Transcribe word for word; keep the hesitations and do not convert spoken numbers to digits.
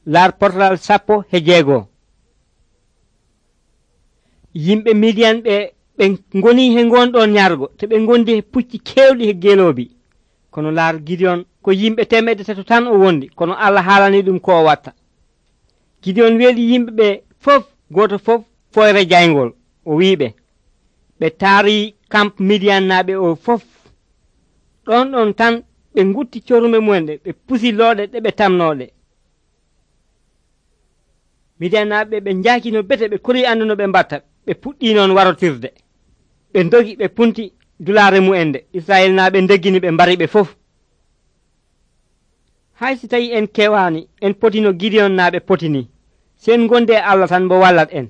laar portal sappo he jeegoo. Yimɓe Midian ɓe ɓe ngoni he ngonɗon ñargo te ɓe ngondi he pucci kewɗi he geloobi. Kono laar Gideon ko yimɓe temedde tato tan o wondi, kono Allah haalani ɗum ko o watta. Gideon weeli yimɓe ɓe fof, goto fof foyre jayngol. O wiiɓe ɓe taari camp Midian naaɓe o fof. Ɗon ɗon tan ɓe ngutti corume mumen ɗe, ɓe pusi looɗe ɗe ɓe tamnoɗe. Midian naaɓe ɓe njaakino bete, ɓe kori andu no ɓe mbatta. Ɓe puɗɗi noon warotirde, ɓe dogi ɓe punti dulaare mu'en nde. Israel naaɓe ndeggini ɓe mbari ɓe fof. Hay si tawi en kewani, en potino Gideon naaɓe potini, sen gonde Allah tan mo wallat en.